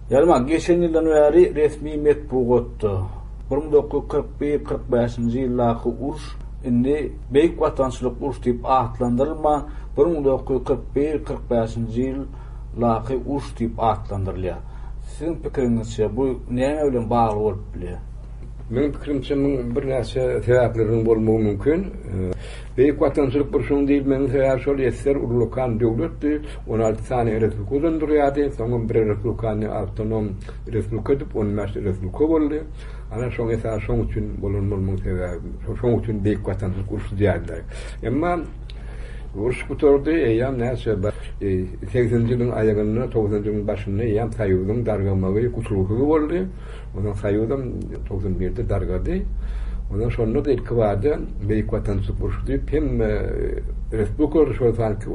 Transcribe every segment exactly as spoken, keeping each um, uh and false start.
Ýalma geçen ýyldan bäri resmi metbugatda bir müň dokuz ýüz kyrk bir kyrk bäşinji ýyldaky uruş indi Beýik Watançylyk urşy diýip atlandyrylman, bir müň dokuz ýüz kyrk bir kyrk bäşinji ýyldaky uruş diýip atlandyrylýar. Siziň pikiriňizçe bu näme bilen bagly bolup bilýär? Meniň pikirimçe muň birnäçe sebäpleriniň bolmagy mümkin. Beýik Watançylyk urşunyň diýilmeginiň sebäbi şol ýesser ullakan döwletdi, on alty sany respublikadan durýardy, soňam bir respublikany awtonom respublika edip on bäş respublika boldy. Ana şoň esasy şoň üçin bolan bolmagyň sebäbi, şoň üçin Beýik Watançylyk urşy diýýärler. Emma uruş gutardy, eýýäm näçe segseninji ýylyň aýagynda, togsanynjy ýylyň başynda eýýäm Soýuzyň dargamagy gutulgysyz boldy. Ondan Soýuzam togsan birde dargady. Ondan şonda-da ilkibada Beýik Watançylyk urşy diýip hemme respublikalarda, şol sanki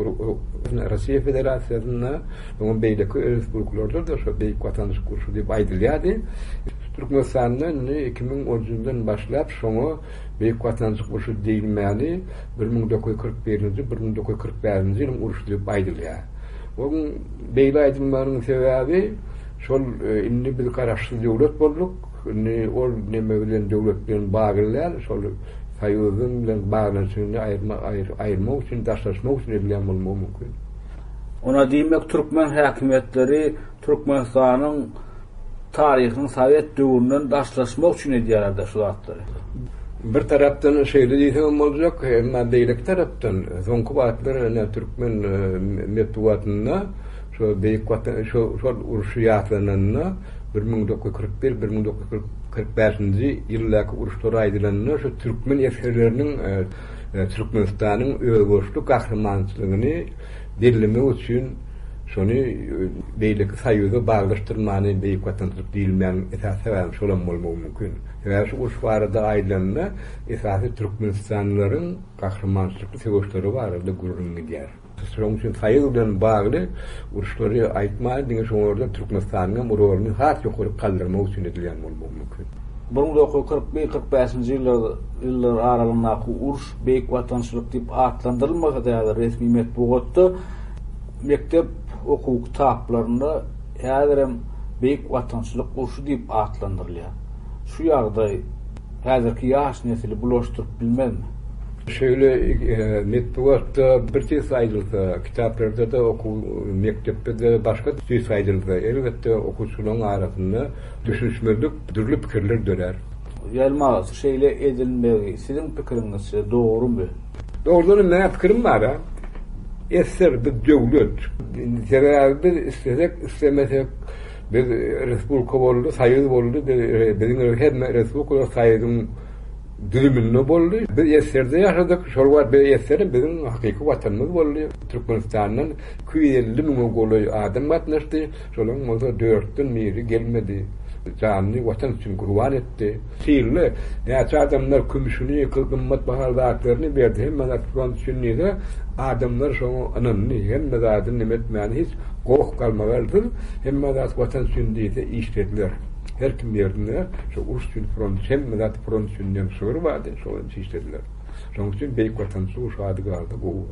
Russiýa Federasiýasynda, soňam beýleki respublikalarda-da şo Beýik Watançylyk urşy diýip aýdylýardy. Türkmenistanda indi iki müň on üçünjiden başlap şoňa Beýik Watançylyk urşy diýilmäni bir müň dokuz ýüz kyrk birinji, bir müň dokuz ýüz kyrk bäşinji ýylyň urşy diýip aýdylýar. Onuň beýle aýdylmagynyň sebäbi şol indi biz garaşsyz döwlet bolduk. Indi ol neme bilen döwlet bilen bagly däl, şol Soýuzyň bilen baglanyşygyny aýyrma, aýyrmak üçin, daşlaşmak üçin edilýän bolmagy mümkin. Ona diýmek türkmen häkimiýetleri Türkmenistanyň taryhynyň sowet döwründen daşlaşmak üçin edýärler-de şu zatlary. Bir tarapdan şeýle diýseňem boljak, emma beýleki tarapdan soňky wagtlar ine türkmen metbugatynda şo Beýik Watan, şo, şol urşy ýatlananda bir müň dokuz ýüz kyrk bir, bir müň dokuz ýüz kyrk bäşinji ýyldaky uruşlar aýdylanda şu türkmen esgerleriniň Türkmenistanyň özboluşly gahrymançylygyny bellemek üçin şony beýleki Soýuza baglaşdyrmany Beýik Watançylyk diýilmäniň esasy sebäbi şolam bolmagy mümkin. Sebäbi şu uruş barada aýdylanda esasy türkmenistanlylaryň gahrymançylykly söweşleri barada gürrüň gidýär. Şonuň üçin Soýuz bilen bagly uruşlary aýtman, diňe şoňa Türkmenistanyň hem roluny has ýokary galdyrmak üçin edilýän bolmagy mümkin. Bir müň dokuz ýüz kyrk bir kyrk bäşinji ýyllar, ýyllar aralygyndaky uruş Beýik Watançylyk diýip atlandyrylmasa-da häzir resmi metbugatda mekdep okuw kitaplarynda häzirem Beýik Watançylyk urşy diýip atlandyrylýar. Şu ýagdaý häzirki ýaş nesli bulaşdyryp bilmezmi? Şeýle metbugatda bir tüýs aýdylsa, kitaplarda-da okuw mekdepde-de başga tüýs aýdylsa, elbetde okuwçylaryň arasynda düşünişmezlik, dürli pikirler dörär. Ýalmaz, şeýle edilmegi siziň pikiriňizçe dogrumy? Dogrudan meň pikirim bar ha. Eser bir döwlet. Sebäbi biz istesek, istemesek biz respublika boldy, soýuz boldy, biziň hemme respublikalar soýuzyň düzüminde boldy. Biz eserde ýaşadyk. Şol wagt biz eserde biziň hakyky watanymyz boldy. Türkmenistandan iki ýüz elli müňe golaý adam gatnaşdy. Şolaryň bolsa dörtden biri gelmedi. Janyny watan üçin gurban etdi. Sirli näçe adamlar kümüşini, gymmat bahaly zatlaryny berdi. Hemme zat front üçin diýse, adamlar şoňa ynandy. Hemme zadyny neme etmäni hiç goh galmagaldyr. Hemme zat watan üçin diýse işlediler. Her kim ýerinde şu uruş üçin front, hemme zat front üçin diýen şygyr bardy, şoňa işlediler. Şonuň üçin Beýik Watançylyk urşy ady galdy gowy.